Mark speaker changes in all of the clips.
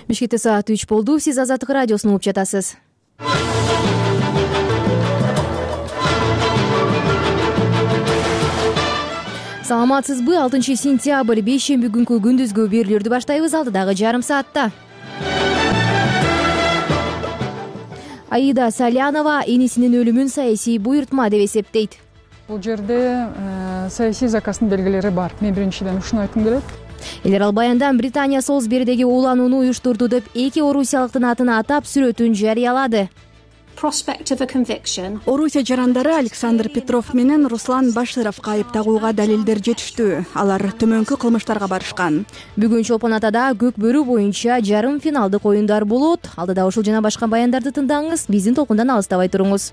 Speaker 1: Бишкекте саат 3 болду. Сиз Азаттык радиосун угуп жатасыз. Саламатсызбы? 6-сентябрь бейшемби күнкү күндүзгү берүүлөрдү баштайбыз. Алдыдагы жарым саатта Аида Салянова энисинин өлүмүн саясий буйртма деп эсептейт.
Speaker 2: Бул жерде саясий заказдын белгилери бар. Мен биринчиден ушуну айткым келет.
Speaker 1: Элер ал баяндан Британия Солсберидеги ууланууну уюштурду деп 2 орусиялыктын атын атап сүрөтүн жарыялады.
Speaker 3: Орусия жарандары Александр Петров менен Руслан Башировго айып тагууга далилдер жетиштүү. Алар төмөнкү кылмыштарга барышкан.
Speaker 1: Бүгүн Чолпон Атада көк бөрү боюнча жарым финалдык оюндар болот. Алдыда ушул жана башка баяндарды тыңдаңыз. Биздин толкундан алыстабай туруңуз.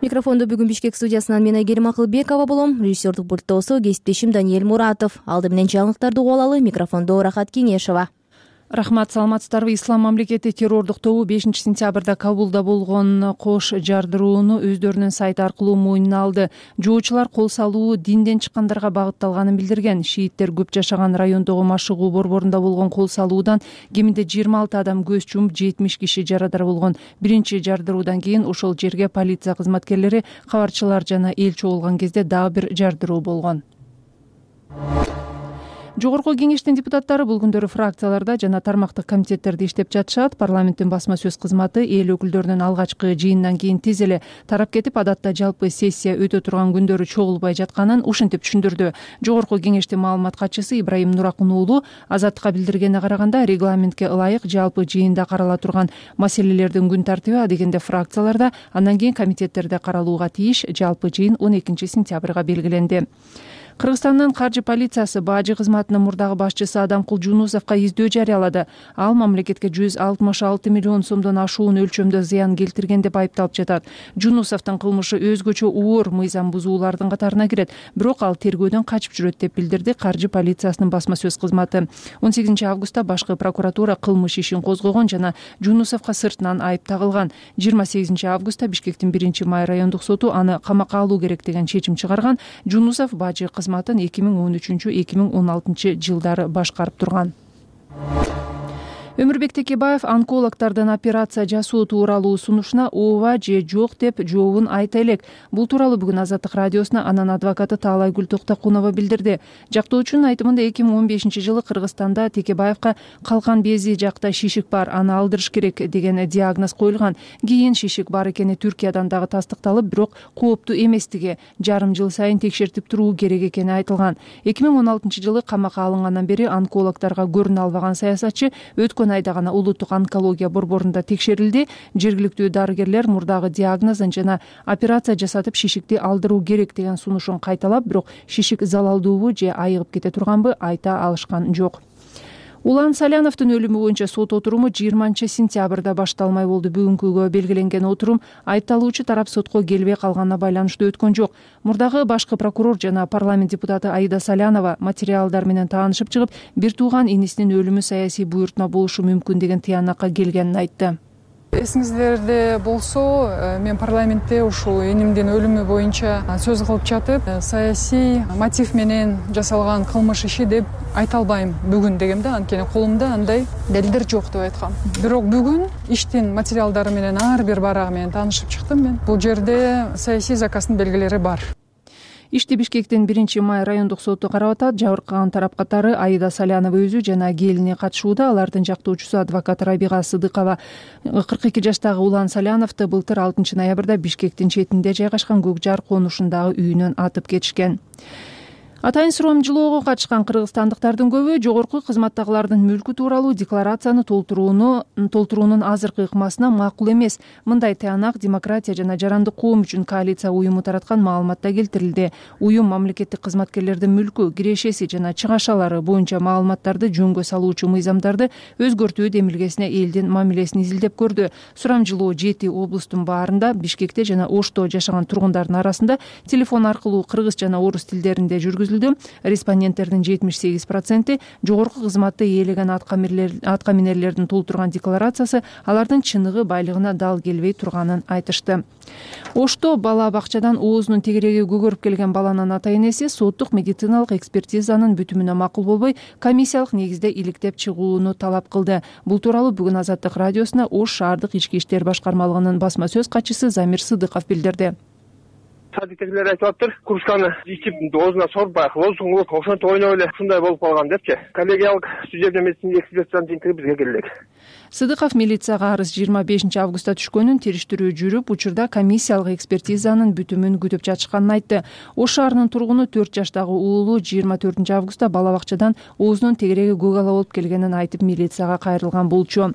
Speaker 1: Микрофондо бүгүн Бишкек студиясынан мен Айгерим Акылбекова болом. Режиссердук пульттосу кесиптешим Даниэль Муратов. Алды менен жаңылыктарды угуп алалы. Микрофондо Рахат Кеңешова.
Speaker 2: Рахмат, саламатсыздарбы. Ислам мамлекети террордук тобу 5-сентябрда Кабулда болгон кош жардырууну өздөрүнүн сайты аркылуу мойнуна алды. Жоочулар кол салуу динден чыккандарга багытталганын билдирген. Шииттер көп жашаган райондогу Машыгуу борборунда болгон кол салуудан кеминде 26 адам көз жумуп, 70 киши жарадар болгон. Биринчи жардыруудан кийин ошол жерге полиция кызматкерлери, кабарчылар жана эл чогулган кезде дагы бир жардыруу болгон. Жогорку кеңештин депутаттары бул күндөрү фракцияларда жана тармактык комитеттерде иштеп жатышат. Парламенттин басма сөз кызматы эл өкүлдөрүнүн алгачкы жыйынынан кийин тез эле тарап кетип, адатта жалпы сессия өтө турган күндөрү чогулбай жатканын ушинтип түшүндүрдү. Жогорку кеңештин маалымат катчысы Ибраим Нуракун уулу Азаттыкка билдиргенине караганда, регламентке ылайык жалпы жыйында карала турган маселелердин күн тартиби адегенде фракцияларда, андан кийин комитеттерде каралууга тийиш. Жалпы жыйын 12-сентябрга белгиленди. Кыргызстандын каржы полициясы бажы кызматынын мурдагы башчысы Адамкул Жунусовго издөө жарыялады. Ал мамлекетке 166 миллион сомдон ашуун өлчөмдө зыян келтирген деп айыпталып жатат. Жунусовдун кылмышы өзгөчө оор мыйзам бузуулардын катарына кирет, бирок ал тергөөдөн качып жүрөт деп билдирди каржы полициясынын басма сөз кызматы. 18-августта башкы прокуратура кылмыш ишин козгогон жана Жунусовго сыртынан айып тагылган. 28-августта Бишкектин 1-Май райондук соту аны камакка алуу керек деген чечим чыгарган. Жунусов бажы кызматын 2013-2016 жылдары башкарып турган. Өмүрбек Текебаев онкологдордун операция жасоо тууралуу сунушуна ооба же жок деп жообун айта элек. Бул тууралуу бүгүн Азаттык радиосуна анын адвокаты Таалайгүл Токтокунова билдирди. Жактоочунун айтымында 2015-жылы Кыргызстанда Текебаевга калкан бези жакта шишик бар, аны алдырыш керек деген диагноз коюлган. Кийин шишик бар экени Түркиядан дагы тастыкталып, бирок кооптуу эместиги, жарым жыл сайын текшертип туруу керек экени айтылган. 2016-жылы камакка алынгандан бери онкологдорго көрүнө албаган саясатчы өткөн айда гана улуттук онкология борборунда текшерилди. Жергиликтүү дарыгерлер мурдагы диагнозун жана операция жасатып шишикти алдыруу керек деген сунушун кайталап, бирок шишик залалдуубу же айыгып кете турганбы айта алышкан жок. Улан Саляновдун өлүмү боюнча сот отуруму 20-сентябрда башталмай болду. Бүгүнкүгө белгиленген отурум айыпталуучу тарап сотко келбей калганына байланыштуу өткөн жок. Мурдагы башкы прокурор жана парламент депутаты Аида Салянова материалдар менен таанышып чыгып, бир тууган инисинин өлүмү саясий буйртма болушу мүмкүн деген тыянакка келгенин айтты. Эсиңиздерде болсо, мен парламентте ушул энимдин өлүмү боюнча сөз кылып жатып, саясий мотив менен жасалган кылмыш иши деп айта албайм бүгүн дегем да, анткени колумда андай далилдер жок деп айткам. Бирок бүгүн иштин материалдары менен ар бир барагы менен таанышып чыктым мен. Бул жерде саясий заказдын белгилери бар. Ишти Бишкектин 1-Май райондук соту карап атат. Жабыркаган тарап катары Аида Салянова өзү жана келини катышууда. Алардын жактоочусу адвокат Рабига Сыдыкова 42 жаштагы Улан Саляновду былтыр 6 ноябрда Бишкектин четинде жайгашкан Көк Жар конушундагы үйүнөн атып кетишкен. Атайын суроом жылоого катышкан кыргызстандыктардын көбү жогорку кызматтагылардын мүлкү тууралуу декларацияны толтуруунун азыркы ыкмасына макул эмес. Мындай тыянак Демократия жана Жарандык коом үчүн коалиция уюму тараткан маалыматта келтирилди. Уюм мамлекеттик кызматкерлердин мүлкү, кирешеси жана чыгашалары боюнча маалыматтарды жөнгө салуучу мыйзамдарды өзгөртүү демилгесине элдин мамилесин изилдеп көрдү. Сурамжылоо 7 облустун баарында, Бишкекте жана Ошто жашаган тургундардын арасында телефон аркылуу кыргыз жана орус тилдеринде жүргүзүлүп, жүргүзүлдү. Респонденттердин 78% жогорку кызматты ээлеген атка минерлердин толтурган декларациясы алардын чыныгы байлыгына дал келбей турганын айтышты. Ошто бала бакчадан оозунун тегереги көгөрүп келген баланын ата энеси соттук медициналык экспертизанын бүтүмүнө макул болбой, комиссиялык негизде иликтеп чыгууну талап кылды. Бул тууралуу бүгүн Азаттык радиосуна Ош шаардык ички иштер башкармалыгынын басма сөз катчысы Замир Сыдыков билдирди.
Speaker 4: Садиктегилер айтып атыптыр, кружканы ичип оозуна сорбай, лозунгулук ошентип ойноп эле ушундай болуп калган депчи. Коллегиялык судебный медицинский экспертизанын жыйынтыгы бизге келди.
Speaker 2: Сыдыков милицияга арыз 25 августта түшкөнүн, териштирүү жүрүп, учурда комиссиялык экспертизанын бүтүмүн күтүп жатышканын айтты. Ош шаарынын тургуну 4 жаштагы уулу 24 августта бала бакчадан оозунун тегереги көк ала болуп келгенин айтып милицияга кайрылган болчу.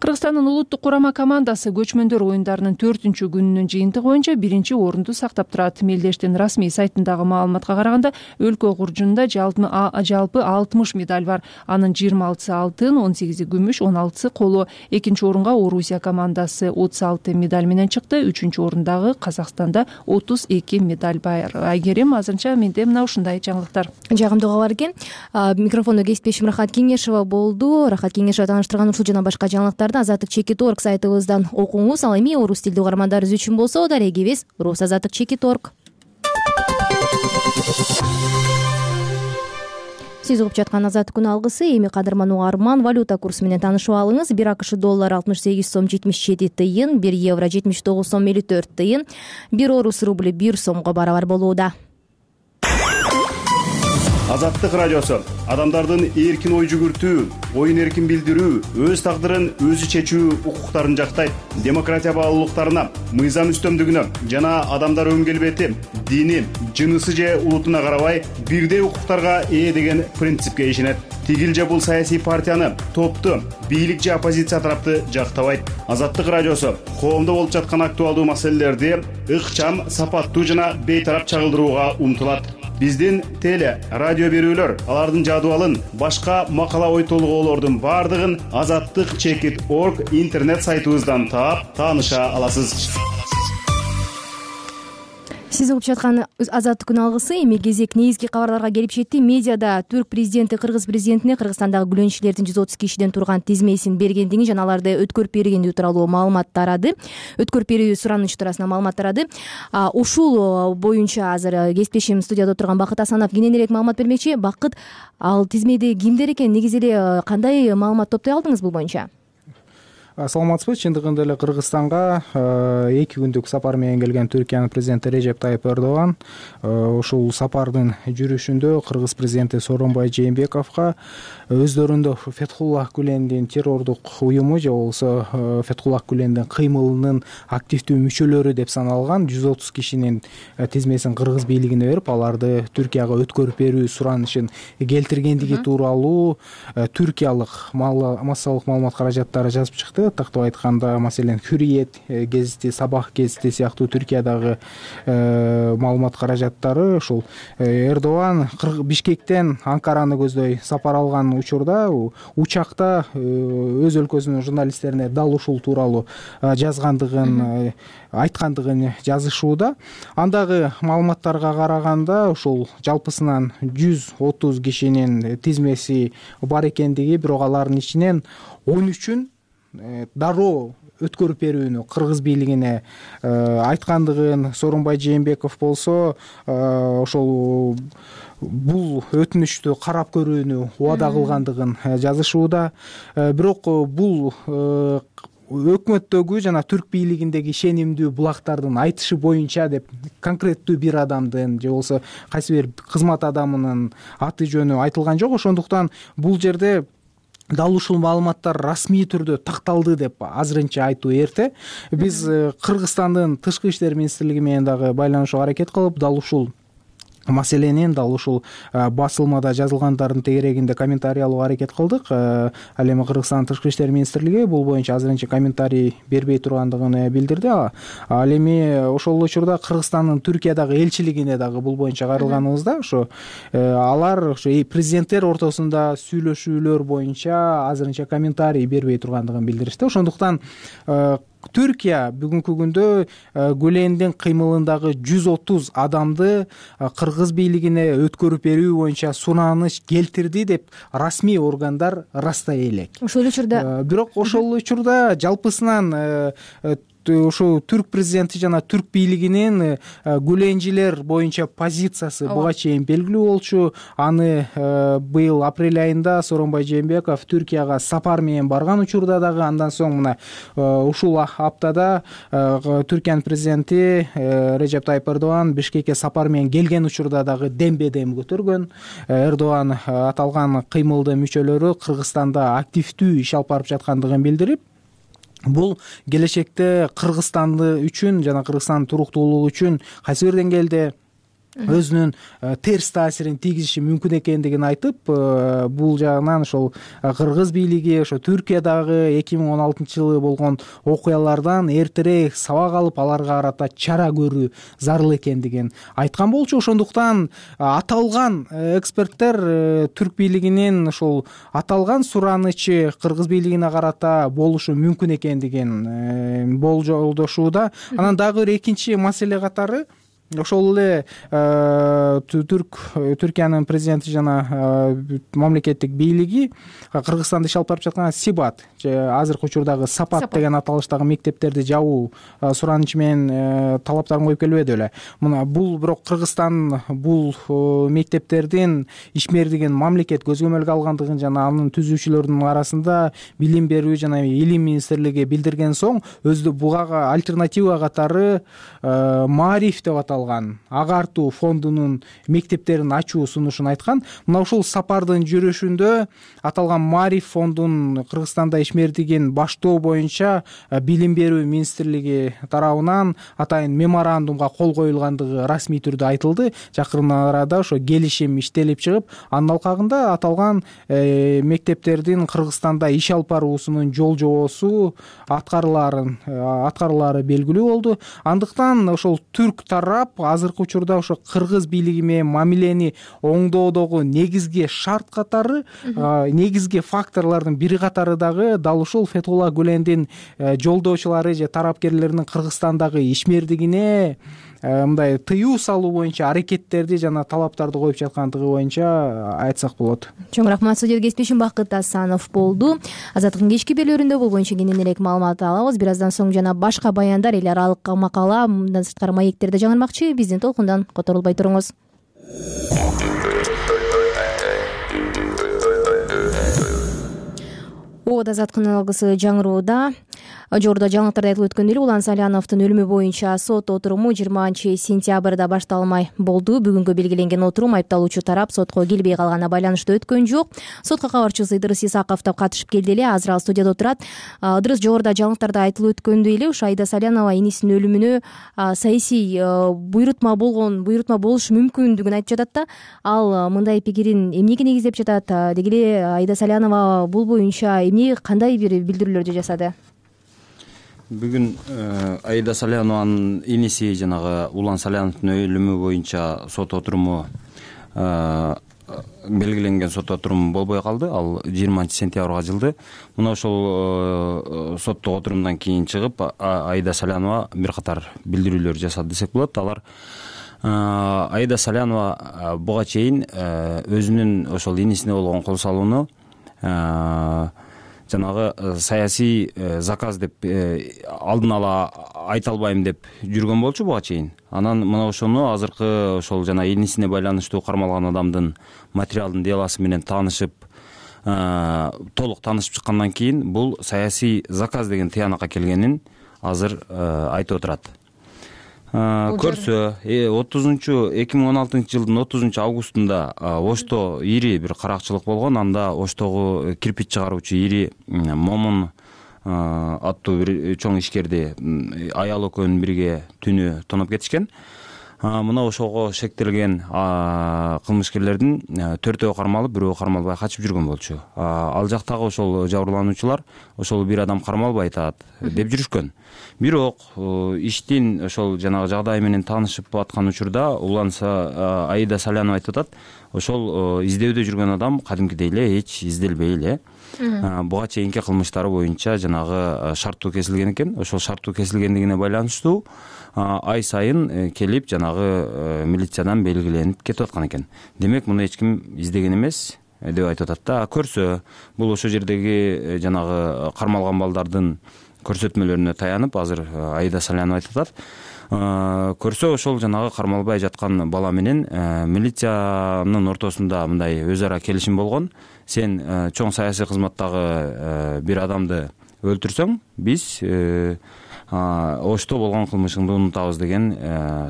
Speaker 2: Кыргызстандын улуттук курама командасы көчмөндөр оюндарынын 4-күнүнүн жыйынтыгы боюнча 1-орунду сактап турат. Мелдештин расмий сайтындагы маалыматка караганда, өлкө куржунда жалпы 60 медаль бар. Анын 26-сы алтын, 18-и күмүш, 16-сы коло. 2-орунга Орусия командасы 36 медаль менен чыкты. 3-орундагы Казакстанда 32 медаль бар. Айгерим, азырынча менде мына ушундай жаңылыктар.
Speaker 1: Жагымдуу кабар экен. Микрофондо кесиптешим Рахат Кеңешова болду. Рахат Кеңешова тааныштырган ушул жана башка жаңылыктарды Азаттык.org сайтыбыздан окуңуз. Ал эми орус тилдүү угармандарыбыз үчүн болсо дарегибиз rusazаттык.org. Сиз угуп жаткан Азаттык күн алгысы. Эми кадырман угарман, валюта курсу менен таанышып алыңыз. 1 АКШ доллар 68 сом 77 тыйын, 1 евро 79 сом 54 тыйын, 1 орус рубли 1 сомго барабар болууда.
Speaker 5: Азаттык радиосу адамдардын эркин ой жүгүртүү, оюн эркин билдирүү, өз тагдырын өзү чечүү укуктарын жактайт. Демократия баалуулуктарына, мыйзам үстөмдүгүнө жана адамдар өң келбети, дини, жынысы же улутуна карабай бирдей укуктарга ээ деген принципке ишенет. Тигил же бул саясий партияны, топту, бийлик же оппозиция тарапты жактабайт. Азаттык радиосу коомдо болуп жаткан актуалдуу маселелерди ыкчам, сапаттуу жана бейтарап чагылдырууга умтулат. Биздин теле, радио берүүлөр, алардын жадыбалын, башка макала ой толгоолордун бардыгын Azattyk.org интернет сайтыбыздан таап, тааныша аласыз.
Speaker 1: Сиз угуп жаткан Азаттык күн алгысы. Эми кезек негизги кабарларга келип жетти. Медиада түрк президенти Кыргыз президентине Кыргызстандагы күлөнчүлөрдүн 130 кишиден турган тизмесин бергендиги жана аларды өткөрүп бергендиги тууралуу маалымат тарады. Өткөрүп берүү сураныч туурасында маалымат тарады. Ушул боюнча азыр кесиптешим студияда отурган Бакыт Асанов кененирээк маалымат бермекчи. Бакыт, ал тизмеде кимдер экен, негизи эле кандай маалымат топтой алдыңыз бул боюнча?
Speaker 6: Саламатсызбы? Чындыгында эле Кыргызстанга 2 күндүк сапар менен келген Түркиянын президенти Режеп Тайып Эрдоган ушул сапардын жүрүшүндө Кыргыз президенти Сооронбай Жээнбековго өздөрүндө Фетхуллах Гүлендин террордук уюму же болбосо Фетхуллах Гүлендин кыймылынын активдүү мүчөлөрү деп саналган 130 кишинин тизмесин Кыргыз бийлигине берип, аларды Түркияга өткөрүп берүү суранышын келтиргендиги тууралуу түркиялык массалык маалымат каражаттары жазып чыкты. Тактап айтканда, маселен, Hürriyet гезити, Сабах гезити сыяктуу Түркиядагы маалымат каражаттары ушул Эрдоган Бишкектен Анкараны көздөй сапар алган учурда учакта өз өлкөсүнүн журналисттерине дал ушул тууралуу жазгандыгын, айткандыгын жазышууда. Андагы маалыматтарга караганда ушул жалпысынан 130 кишинин тизмеси бар экендиги, бирок алардын ичинен 13-үн дароо өткөрүп берүүнү Кыргыз бийлигине айткандыгын, Сооронбай Жээнбеков болсо ошол бул өтүнүштү карап көрүүнү убада кылгандыгын жазышууда. Бирок бул өкмөттөгү жана түрк бийлигиндеги ишенимдүү булактардын айтышы боюнча деп конкреттүү бир адамдын же болбосо кайсы бир кызмат адамынын аты жөнү айтылган жок. Ошондуктан бул жерде дал ушул маалыматтар расмий түрдө такталды деп азырынча айтуу эрте. Биз Кыргызстандын тышкы иштер министрлиги менен дагы байланышууга аракет кылып, дал ушул маселенин, дал ушул басылмада жазылгандардын тегерегинде комментарий алууга аракет кылдык. Ал эми Кыргызстандын тышкы иштер министрлиги бул боюнча азырынча комментарий бербей тургандыгын билдирди. Ал эми ошол учурда Кыргызстандын Түркиядагы элчилигине дагы бул боюнча кайрылганыбызда ошо алар ошо президенттер ортосунда сүйлөшүүлөр боюнча азырынча комментарий бербей тургандыгын билдиришти. Ошондуктан Түркия бүгүнкү күндө Гүлендин кыймылындагы 130 адамды кыргыз бийлигине өткөрүп берүү боюнча сураныш келтирди деп расмий органдар ырастай элек.
Speaker 1: Ошол учурда
Speaker 6: бирок ошол учурда жалпысынан ушул түрк президенти жана түрк бийлигинин гүленжилер боюнча позициясы буга чейин белгилүү болчу. Аны быйыл апрель айында Сооронбай Жээнбеков Түркияга сапар менен барган учурда дагы, андан соң мына ушул аптада Түркиянын президенти Режеп Тайып Эрдоган Бишкекке сапар менен келген учурда дагы дембе-дем көтөргөн. Эрдоган аталган кыймылдын мүчөлөрү Кыргызстанда активдүү иш алып барып жаткандыгын билдирип, бул келечекте Кыргызстанды үчүн жана Кыргызстандын туруктуулугу үчүн кайсы бир деңгээлде өзүнүн терс таасирин тийгизиши мүмкүн экендигин айтып, бул жагынан ошол кыргыз бийлиги ошо Түркиядагы 2016 жылы болгон окуялардан эртерээк сабак алып, аларга карата чара көрүү зарыл экендигин айткан болчу. Ошондуктан аталган эксперттер түрк бийлигинин ошол аталган суранычы кыргыз бийлигине карата болушу мүмкүн экендигин болжолдошууда. Анан дагы бир экинчи маселе катары ошол эле Түркиянын президенти жана мамлекеттик бийлиги Кыргызстанда иш алып барып жаткан Сибат, азыркы учурдагы Сапат деген аталыштагы мектептерди жабуу суранычы менен талаптарын коюп келбеди беле. Мына бул бирок Кыргызстан бул мектептердин ишмердигин мамлекет көзөмөлгө алгандыгын жана анын түзүүчүлөрүнүн арасында билим берүү жана илим министрлиги билдирген соң, өзү буга альтернатива катары Маариф деп агартуу фондунун мектептерин ачуу сунушун айткан. Мына ушул сапардын жүрүшүндө аталган Маариф фондунун Кыргызстанда ишмердигин баштоо боюнча билим берүү министрлиги тарабынан атайын меморандумга кол коюлгандыгы расмий түрдө айтылды. Жакын арада ошо келишим иштелип чыгып, анын алкагында аталган мектептердин Кыргызстанда иш алып баруусунун жол жобосу аткарылаары белгилүү болду. Андыктан ошол түрк тарап азыркы учурда ошо кыргыз бийлиги менен мамилени оңдоодогу негизги шарт катары, негизги факторлордун бири катары дагы дал ушул Фетхулла Гүлендин жолдоочулары же тарапкерлеринин Кыргызстандагы ишмердигине мындай тыюу салуу боюнча аракеттерди жана талаптарды коюп жаткандыгы боюнча айтсак болот. Чоң
Speaker 1: рахмат. Студияда кесиптешим Бакыт Асанов болду. Азаттыктын кечки берүүлөрүндө бул боюнча кененирээк маалымат алабыз. Бир аздан соң жана башка баяндар, эл аралык макала, мындан сырткары маектерде жаңырмакчы. Биздин толкундан которулбай туруңуз. Ооба, азаттыктын алгысы жаңырууда. Жогоруда жаңылыктарда айтылып өткөндөй эле Улан Саляновдун өлүмү боюнча сот отуруму 20-сентябрда башталмай болду. Бүгүнкү белгиленген отурум айыпталуучу тарап сотко келбей калганына байланыштуу өткөн жок. Сотко кабарчыбыз Ыдырыс Исаков да катышып келди эле. Азыр ал студияда отурат. Ыдырыс, жогоруда жаңылыктарда айтылып өткөндөй эле ушу Аида Салянова энисинин өлүмүнө саясий буйрутма болушу мүмкүндүгүн айтып жатат да. Ал мындай пикирин эмнеге негиздеп жатат? Деги эле Аида Салянова бул боюнча эмне, кандай бир билдирүүлөрдү жасады?
Speaker 7: Бүгүн Аида Салянованын иниси жанагы Улан Саляновдун өлүмү боюнча сот отуруму белгиленген сот отурум болбой калды. Ал 20-сентябрга жылды. Мына ошол соттук отурумдан кийин чыгып Аида Салянова бир катар билдирүүлөр жасады десек болот. Алар Аида Салянова буга чейин өзүнүн ошол инисине болгон кол салууну жанагы саясий заказ деп алдын ала айта албайм деп жүргөн болчу буга чейин. Анан мына ошону азыркы ошол жана инисине байланыштуу кармалган адамдын материалдын делосы менен таанышып, толук таанышып чыккандан кийин бул саясий заказ деген тыянакка келгенин азыр айтып отурат. Көрсө 2016 жылдын 30 августунда Ошто ири бир каракчылык болгон. Анда Оштогу кирпич чыгаруучу ири Момун аттуу бир чоң ишкерди аял экөөнүн бирге түнү тоноп кетишкен. Мына ошого шектелген кылмышкерлердин 4-өө кармалып, 1-өө кармалбай качып жүргөн болчу. Ал жактагы ошол жабырлануучулар ошол бир адам кармалбай атат деп жүрүшкөн. Бирок иштин ошол жанагы жагдайы менен таанышып аткан учурда Аида Салянова айтып атат, ошол издөөдө жүргөн адам кадимкидей эле эч изделбей эле буга чейинки кылмыштары боюнча жанагы шарттуу кесилген экен. Ошол шарттуу кесилгендигине байланыштуу ай сайын келип жанагы милициядан белгиленип кетип аткан экен. Демек муну эч ким издеген эмес деп айтып атат да. Көрсө бул ошол жердеги жанагы кармалган балдардын көрсөтмөлөрүнө таянып азыр Аида Салянова айтып атат. Көрсө ошол жанагы кармалбай жаткан бала менен милициянын ортосунда мындай өз ара келишим болгон. Сен чоң саясий кызматтагы бир адамды өлтүрсөң, биз ошто болгон кылмышыңды унутабыз деген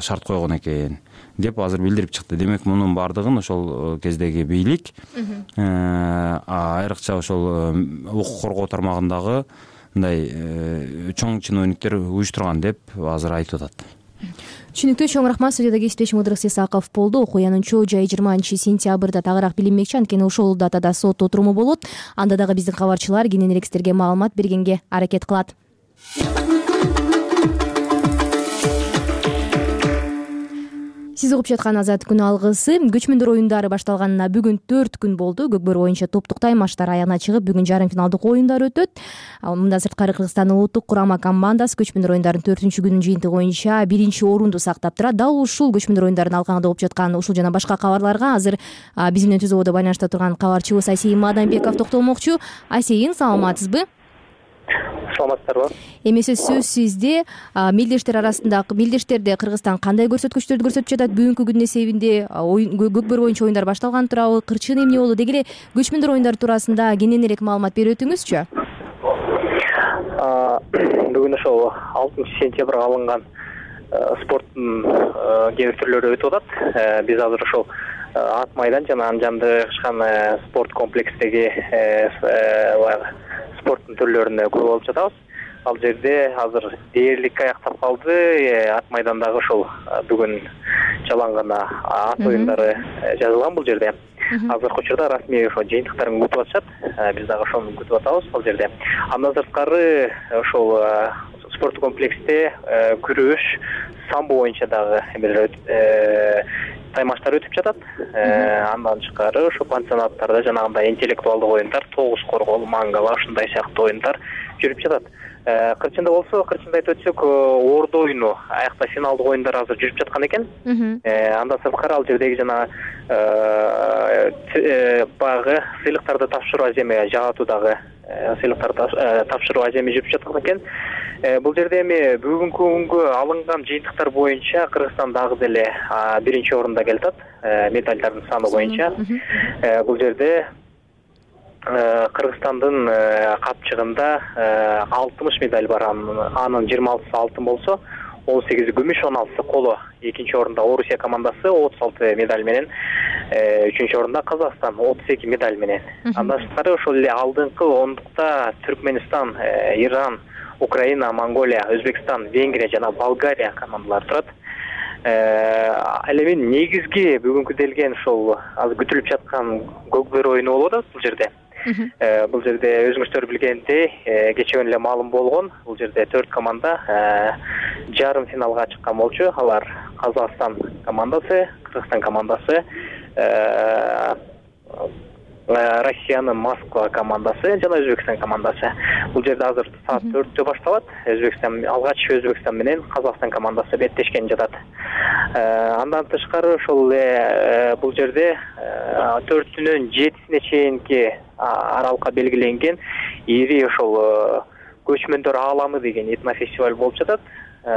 Speaker 7: шарт койгон экен деп азыр билдирип чыкты. Демек мунун баардыгын ошол кездеги бийлик айрыкча ошол укук коргоо тармагындагы мындай чоң чиновниктер уюштурган деп азыр айтып атат.
Speaker 1: Түшүнүктүү, чоң рахмат. Студияда кесиптешим Ыдырыс Исаков болду. Окуянын чоо жайы 20-сентябрда тагыраак билинмекчи, анткени ошол датада сот отуруму болот. Анда дагы биздин кабарчылар кененирээк сиздерге маалымат бергенге аракет кылат. Сиз угуп жаткан Азат күн алгысы. Көчмөндөр оюндары башталганына бүгүн 4 күн болду. Көкбөр боюнча топтук таймаштар аягына чыгып, бүгүн жарым финалдык оюндар өтөт. Мындан сырткары Кыргызстандын улуттук курама командасы көчмөндөр оюндарынын 4-күнүн жыйынтыгы боюнча 1-орунду сактап турат. Дал ушул көчмөндөр оюндарын алкагында угуп жаткан ушул жана башка кабарларга азыр биз менен түз абоодо байланышта турган кабарчыбыз Айсейин Мадамбеков токтолмокчу. Айсейин, саламатсызбы?
Speaker 8: Саламатсыздарбы?
Speaker 1: Эмесе сөз сизде. Мелдештерде Кыргызстан кандай көрсөткүчтөрдү көрсөтүп жатат? Бүгүнкү күндүн эсебинде көкбөр боюнча оюндар башталган турабы? Кырчыгы эмне болду? Деги эле көчмөндөр оюндары туурасында кененирээк маалымат берип өтүңүзчү.
Speaker 8: Бүгүн ошол 6-сентябрга алынган спорттун кээ бир түрлөрү өтүп атат. Биз азыр ошол ат майдан жана анын жанында жайгашкан спорт комплексиндеги спорттун түрлөрүнө көрүп алып жатабыз. Ал жерде азыр дээрлик аяктап калды. Ат майдандагы ошол бүгүн жалаң гана ат оюндары жазылган бул жерде. Азыркы учурда расмий ошо жыйынтыктарын күтүп атышат. Биз дагы ошону күтүп атабыз ал жерде. Андан сырткары ошол спорт комплексте күрөш, самбо боюнча дагы бир таймаштар өтүп жатат. Андан тышкары ошо пансионаттарда жанагындай интеллектуалдык оюндар, тогуз коргол, мангала ушундай сыяктуу оюндар жүрүп жатат. Кырчында болсо, кырчында айтып өтсөк, ордо оюну аякта финалдык оюндар азыр жүрүп жаткан экен. Андан сырткары ал жердеги жана багы сыйлыктарды тапшыруу аземи жаатуудагы сыйлыктарды тапшыруу аземи жүрүп жаткан экен. Бул жерде эми бүгүнкү күнгө алынган жыйынтыктар боюнча Кыргызстан дагы деле 1-орунда келатат медальдардын саны боюнча. Бул жерде Кыргызстандын капчыгында 60 медаль бар. Анын 26 алтын болсо, 18 күмүш, 16 коло. 2-орунда Орусия командасы 36 медаль менен, 3-орунда Казакстан 32 медаль менен. Андан тышкары ошол эле алдыңкы ондукта Түркмөнстан, Иран, Украина, Монголия, Өзбекстан, Венгрия жана Болгария командалары турат. Ал эми негизги бүгүнкү делген ошол азыр күтүлүп жаткан көкбөр оюну болуп атат бул жерде. Бул жерде өзүңүздөр билгендей, кечээ эле маалым болгон. Бул жерде 4 команда жарым финалга чыккан болчу. Алар Казакстан командасы, Кыргызстан командасы, Россиянын Москва командасы жана Өзбекстан командасы. Бул жерде азыр саат 4-тө башталат. Алгач Өзбекстан менен Казакстан командасы беттешкен жатат. Андан тышкары ошол бул жерде 4-нөн 7-сине чейинки аралыкка белгиленген ири ошол көчмөндөр ааламы деген этнофестиваль болуп жатат.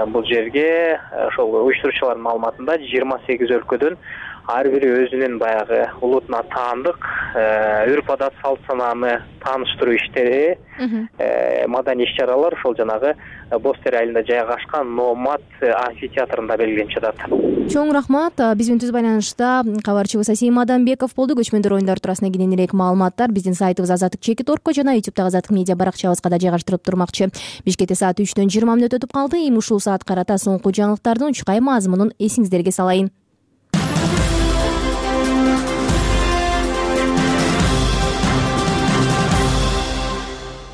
Speaker 8: Бул жерге ошол уюштуруучулардын маалыматында 28 өлкөдөн ар бири өзүнүн баягы улутуна таандык өрп-адат, салт-санааны тааныштыруу иштери, маданий иш-чаралар ошол жанагы Бостер айылында жайгашкан Номад амфитеатрында белгиленип жатат.
Speaker 1: Чоң рахмат. Биз менен түз байланышта кабарчыбыз Айсейин Мадамбеков болду. Көчмөндөр оюндары туурасында кененирээк маалыматтар биздин сайтыбыз azatduk.org жана YouTube'дагы Азаттык медиа баракчабызга да жайгаштырып турмакчы. Бишкекте саат 3-төн 20 мүнөт өтүп калды. Эми ушул саат карата соңку жаңылыктардын учкай мазмунун эсиңиздерге салайын.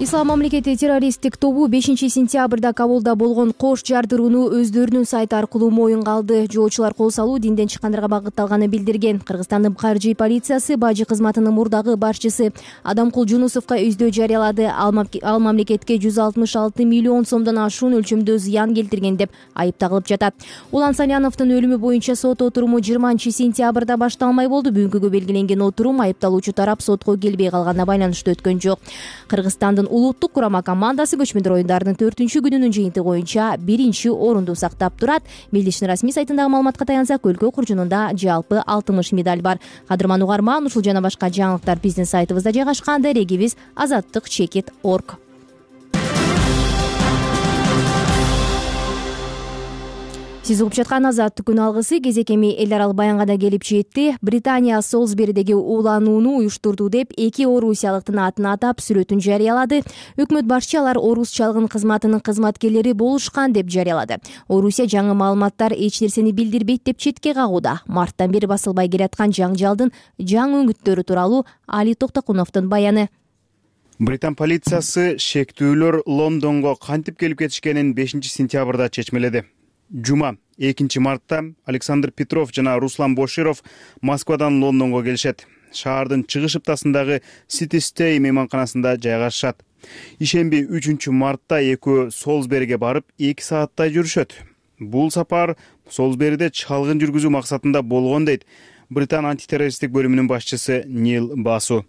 Speaker 1: Ислам мамлекети террористтик тобу 5-сентябрда Кабулда болгон кош жардырууну өздөрүнүн сайты аркылуу моюнга алды. Жоочулар кол салуу динден чыккандарга багытталганын билдирген. Кыргызстандын каржы полициясы бажы кызматынын мурдагы башчысы Адамкул Жунусовго издөө жарыялады. Ал мамлекетке 166 миллион сомдон ашуун өлчөмдө зыян келтирген деп айыпталып жатат. Улан Саляновдун өлүмү боюнча сот отуруму 20-сентябрда башталмай болду. Бүгүнкүгө белгиленген отурум айыпталуучу тарап сотко келбей калганына байланыштуу өткөн жок. Кыргызстандын улуттук курама командасы көчмөндөр оюндарынын 4-күнүнүн жыйынтыгы боюнча 1-орунду сактап турат. Мелдештин расмий сайтындагы маалыматка таянсак, өлкө куржунунда жалпы 60 медаль бар. Кадырман угарман, ушул жана башка жаңылыктар биздин сайтыбызда жайгашкан. Дарегибиз azаттык.org. Сиз угуп жаткан Азаттык күн алгысы кезек эми эл аралык баянга да келип жетти. Британия Солсберидеги ууланууну уюштурду деп 2 орусиялыктын атын атап сүрөтүн жарыялады. Өкмөт башчы алар орус чалгын кызматынын кызматкерлери болушкан деп жарыялады. Орусия жаңы маалыматтар эч нерсени билдирбейт деп четке кагууда. Марттан бери басылбай келаткан жаңжалдын жаңы үңүттөрү тууралуу Али Токтокуновдун баяны.
Speaker 5: Британ полициясы шектүүлөр Лондонго кантип келип кетишкенин 5-сентябрда чечмеледи. Жума 2 мартта Александр Петров жана Руслан Боширов Москвадан Лондонго келишет. Шаардын чыгыш ыптасындагы City Stay мейманканасында жайгашышат. Ишемби 3 мартта экөө Солсбериге барып 2 сааттай жүрүшөт. Бул сапар Солсбериде чалгын жүргүзүү максатында болгон дейт Британ антитеррористтик бөлүмүнүн башчысы Нил Басу.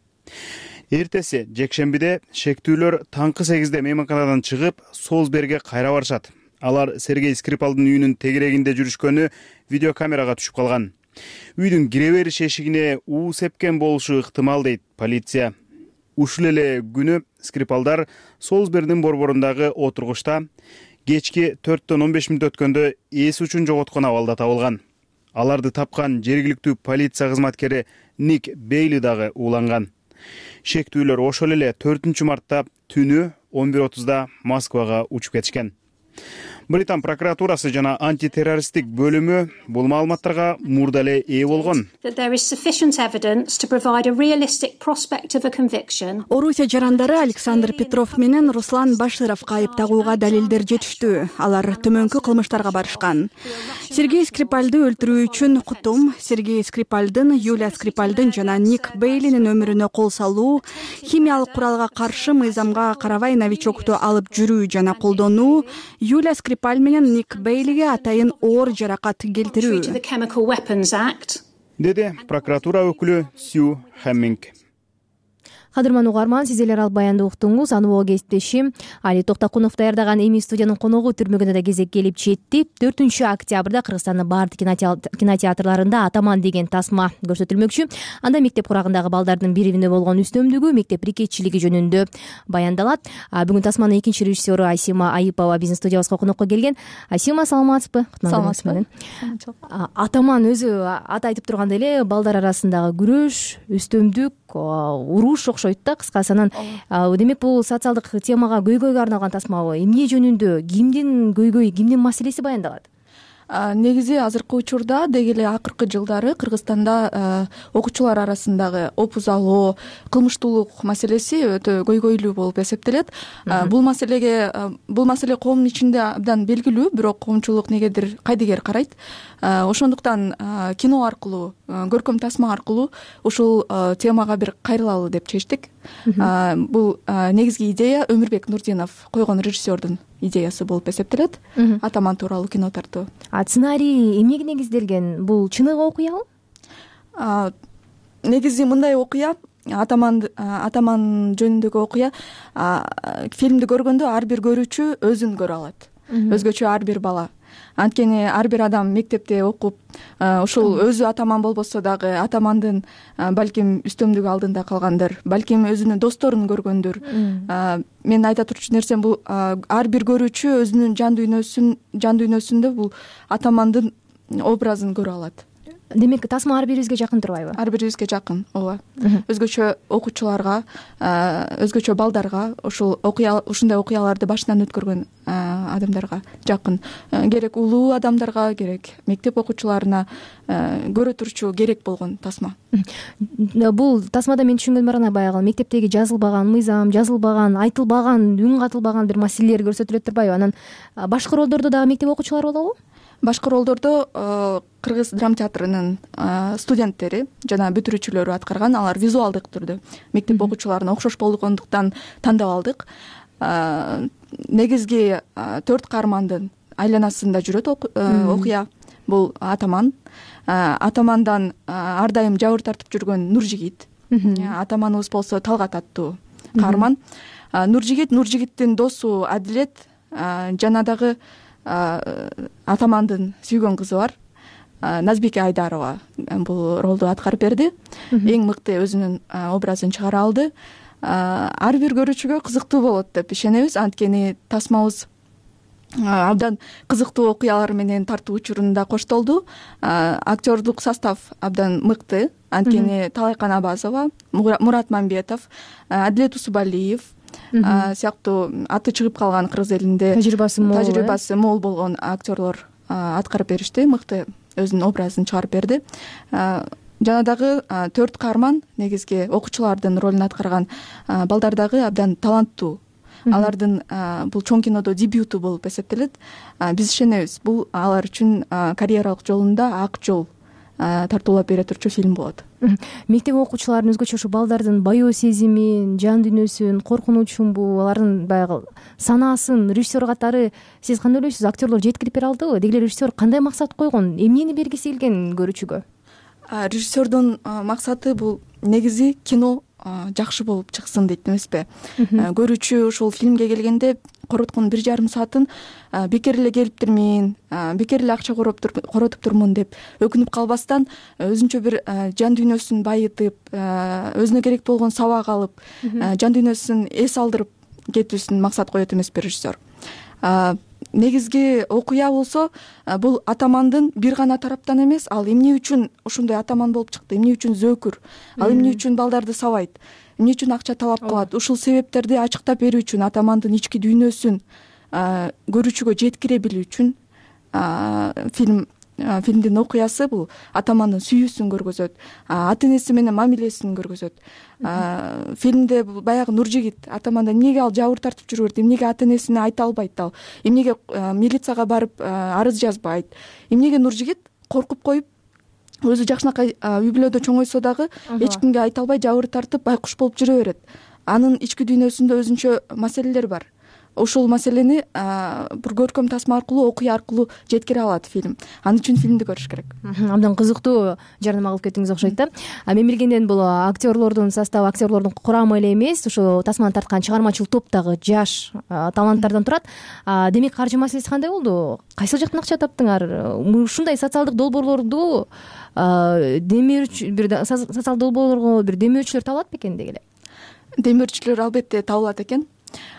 Speaker 5: Эртеси жекшембиде шектүүлөр таңкы 8-де мейманканадан чыгып Солсбериге кайра барышат. Алар Сергей Скрипалдын үйүнүн тегерегинде жүрүшкөнү видеокамерага түшүп калган. Үйдүн кире бериш эшигине уу сепкен болушу ыктымал дейт полиция. Ушул эле күнү Скрипалдар Солсберидин борборундагы отургучта кечки 4-15 мүнөт өткөндө эс учун жоготкон абалда табылган. Аларды тапкан жергиликтүү полиция кызматкери Ник Бейли дагы ууланган. Шектүүлөр ошол эле 4 мартта түнү 11:30да Москвага учуп кетишкен. Британ прокуратурасы жана антитеррористтик бөлүмү бул маалыматтарга мурда эле ээ болгон.
Speaker 3: Орусия жарандары Александр Петров менен Руслан Башировго айып тагууга далилдер жетиштүү. Алар төмөнкү кылмыштарга барышкан. Сергей Скрипальды өлтүрүү үчүн кутум, Сергей Скрипальдын, Юлия Скрипальдын жана Ник Бейлинин өмүрүнө кол салуу, химиялык куралга каршы мыйзамга карабай новичокту алып жүрүү жана колдонуу, Юлия Скрипаль менен Ник Бейлиге атайын оор жаракат келтирүү,
Speaker 5: деди прокуратура өкүлү Сью Хэмминг.
Speaker 1: Кадырман угарман, сиз эле ал баянды уктуңуз. Анубоо кесиптешим Али Токтокунов даярдаган эми студиянын коногу түрмөгүнө да кезек келип жетти. 4 октябрда Кыргызстандын баардык кинотеатрларында Атаман деген тасма көрсөтүлмөкчү. Анда мектеп курагындагы балдардын бири-бирине болгон үстөмдүгү, мектеп рекетчилиги жөнүндө баяндалат. Бүгүн тасманын экинчи режиссеру Айсима Айыпова биздин студиябызга конокко келген. Айсима, саламатсызбы?
Speaker 9: Саламатсызбы.
Speaker 1: Атаман өзү аты айтып тургандай эле балдар арасындагы күрөш, үстөмдүк, уруш окшойт да кыскасы. Анан демек бул социалдык темага, көйгөйгө арналган тасмабы? Эмне жөнүндө, кимдин көйгөйү, кимдин маселеси баяндалат?
Speaker 9: Негизи азыркы учурда деги эле акыркы жылдары Кыргызстанда окуучулар арасындагы опузалоо, кылмыштуулук маселеси өтө көйгөйлүү болуп эсептелет. Бул маселе коомдун ичинде абдан белгилүү, бирок коомчулук негедир кайдыгер карайт. Ошондуктан кино аркылуу, көркөм тасма аркылуу ушул темага бир кайрылалы деп чечтик. Бул негизги идея Өмүрбек Нурдинов койгон режиссердун идеясы болуп эсептелет. Атаман тууралуу кино тартуу.
Speaker 1: Сценарий эмнеге негизделген? Бул чыныгы окуябы?
Speaker 9: Негизи мындай окуя, Атаман жөнүндөгү окуя, фильмди көргөндө ар бир көрүүчү өзүн көрө алат. Өзгөчө ар бир бала. Анткени ар бир адам мектепте окуп, ушул өзү атаман болбосо дагы атамандын балким үстөмдүгү алдында калгандыр, балким өзүнүн досторун көргөндүр. Мен айта турчу нерсем бул ар бир көрүүчү өзүнүн жан дүйнөсүндө бул атамандын образын көрө алат.
Speaker 1: Демек тасма ар бирибизге жакын турбайбы?
Speaker 9: Ар бирибизге жакын, ооба. Өзгөчө окуучуларга, өзгөчө балдарга ушундай окуяларды башынан өткөргөн адамдарга жакын, керек улуу адамдарга, керек мектеп окуучуларына көрө турчу керек болгон тасма.
Speaker 1: Бул тасмада мен түшүнгөнүм бар, баягы мектептеги жазылбаган мыйзам, жазылбаган, айтылбаган, үн катылбаган бир маселелер көрсөтүлөт турбайбы? Анан башкы ролдордо дагы мектеп окуучулары болобу?
Speaker 9: Башкы ролдордо Кыргыз драма театрынын студенттери жана бүтүрүүчүлөрү аткарган. Алар визуалдык түрдө мектеп окуучуларына окшош болгондуктан тандап алдык. Негизги 4 каармандын айланасында жүрөт окуя. Бул атаман, атамандан ар дайым жабыр тартып жүргөн Нуржигит. Атаманыбыз болсо Талгат аттуу каарман. Нуржигиттин досу Адилет жана дагы атамандын сүйгөн кызы бар, Назбике Айдарова, бул ролду аткарып берди. Эң мыкты өзүнүн образын чыгара алды. Ар бир көрүүчүгө кызыктуу болот деп ишенебиз, анткени тасмабыз абдан кызыктуу окуялар менен тартуу учурунда коштолду. Актерлук состав абдан мыкты, анткени Талай Канабазова, Мурат Мамбетов, Адилет Усубалиев сыяктуу аты чыгып калган кыргыз элинде тажрыйбасы мол болгон актерлор аткарып беришти, мыкты өзүнүн образын чыгарып берди. Жана дагы 4 каарман негизги окуучулардын ролун аткарган балдар дагы абдан таланттуу. Алардын бул чоң кинодо дебюту болуп эсептелет. Биз ишенебиз, бул алар үчүн карьералык жолунда ак жол тартуулап бере турчу фильм болот.
Speaker 1: Мектеп окуучуларынын өзгөчө ушу балдардын баё сезимин, жан дүйнөсүн, коркунучунбу, алардын баягы санаасын режиссер катары сиз кандай ойлойсуз? Актерлор жеткирип бере алдыбы? Деги эле режиссер кандай максат койгон? Эмнени бергиси келген көрүүчүгө?
Speaker 9: Режиссердун максаты бул негизи кино жакшы болуп чыксын дейт эмеспи? Көрүүчү ушул фильмге келгенде короткон 1,5 саатын бекер эле келиптирмин, бекер эле акча коротуп турмун деп өкүнүп калбастан, өзүнчө бир жан дүйнөсүн байытып, өзүнө керек болгон сабак алып, жан дүйнөсүн эс алдырып кетүүсүн максат коет эмеспи режиссер? Негизги окуя болсо, бул атамандын бир гана тараптан эмес, ал эмне үчүн ошондой атаман болуп чыкты, эмне үчүн зөөкүр, ал эмне үчүн балдарды сабайт, эмне үчүн акча талап кылат, ушул себептерди ачыктап берүү үчүн, атамандын ички дүйнөсүн көрүүчүгө жеткире билүү үчүн фильмдин окуясы бул атамандын сүйүүсүн көргөзөт, ата энеси менен мамилесин көргөзөт. Фильмде баягы Нуржигит атаманда эмнеге ал жабыр тартып жүрө берет, эмнеге ата энесине айта албайт, ал эмнеге милицияга барып арыз жазбайт, эмнеге Нуржигит коркуп коюп өзү жакшынакай үй бүлөдө чоңойсо дагы эч кимге айта албай жабыр тартып байкуш болуп жүрө берет. Анын ички дүйнөсүндө өзүнчө маселелер бар. Ушул маселени бир көркөм тасма аркылуу, окуя аркылуу жеткире алат фильм. Ал үчүн фильмди көрүш керек.
Speaker 1: Абдан кызыктуу жарнама кылып кеттиңиз окшойт да. Мен билгенден бул актерлордун составы, актерлордун курамы эле эмес, ушу тасманы тарткан чыгармачыл топ дагы жаш таланттардан турат. Демек каржы маселеси кандай болду? Кайсыл жактан акча таптыңар? Ушундай социалдык долбоорлорду социалдык долбоорлорго бир демөөрчүлөр табылат бекен деги эле?
Speaker 9: Демөөрчүлөр албетте табылат экен.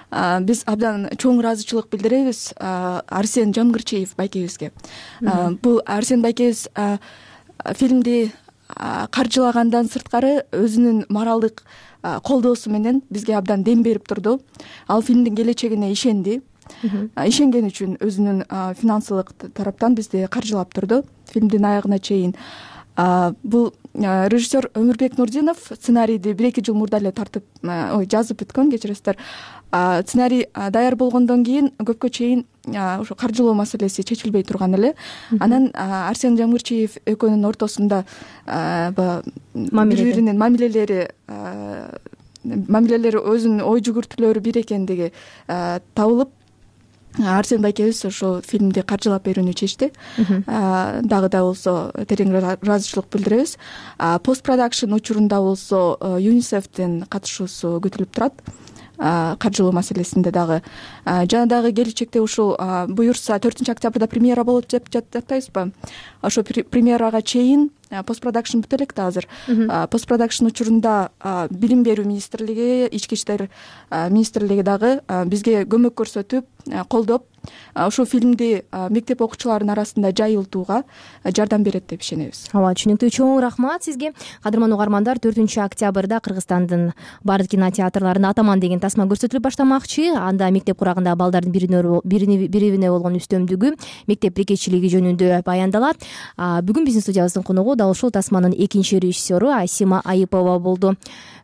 Speaker 9: Биз абдан чоң ыраазычылык билдиребиз Арсен Жангырчиев байкебизге. Бул Арсен байкебиз фильмди каржылагандан сырткары өзүнүн моралдык колдоосу менен бизге абдан дем берип турду. Ал фильмдин келечегине ишенди. Ишенген үчүн өзүнүн финансылык тараптан бизди каржылап турду фильмдин аягына чейин. Бул режиссер Өмүрбек Нурдинов сценарийди 1-2 жыл мурда эле жазып бүткөн, кечиресиздер. Сценарий даяр болгондон кийин көпкө чейин ошо каржылоо маселеси чечилбей турган эле. Анан Арсен Жангырчиев экөөнүн ортосунда бири-биринин мамилелери өзүнүн ой жүгүртүүлөрү бир экендиги табылып, Арсен байкебиз ошо фильмди каржылап берүүнү чечти. Дагы да болсо терең ыраазычылык билдиребиз. Пост продакшн учурунда болсо ЮНИСЕФтин катышуусу күтүлүп турат. Каржылоо маселесинде дагы. Жана дагы келечекте ушул буюрса 4 октябрда премьера болот деп жатпайбызбы? Ошо премьерага чейин пост продакшн бүтө электе азыр. Пост продакшн учурунда билим берүү министрлиги, ички иштер министрлиги дагы бизге көмөк көрсөтүп, колдоп, ушул фильмди мектеп окуучуларынын арасында жайылтууга жардам берет деп ишенебиз.
Speaker 1: Ооба, түшүнүктүү. Чоң рахмат сизге. Кадырман угармандар, 4-октябрда Кыргызстандын бардык кинотеатрларында Атаман деген тасма көрсөтүлүп баштамакчы. Анда мектеп курагындагы балдардын бири-бирине болгон үстөмдүгү, мектеп бирикетчилиги жөнүндө баяндалат. Бүгүн биздин студиябыздын коногу дал ушул тасманын экинчи режиссеру Асима Айыпова болду.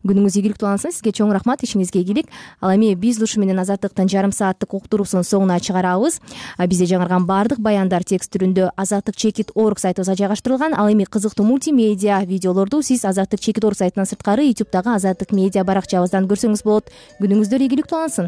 Speaker 1: Күнүңүз ийгиликтүү улансын. Сизге чоң рахмат, ишиңизге ийгилик. Ал эми биз ушу менен Азаттыктын жарым сааттык уктуруусунун соңуна чыгарабыз. Бизде жаңырган баардык баяндар текст түрүндө azattik.org сайтыбызга жайгаштырылган. Ал эми кызыктуу мультимедиа видеолорду сиз azattik.org сайтынан сырткары YouTube'дагы Азаттык медиа баракчабыздан көрсөңүз болот. Күнүңүздөр ийгиликтүү улансын.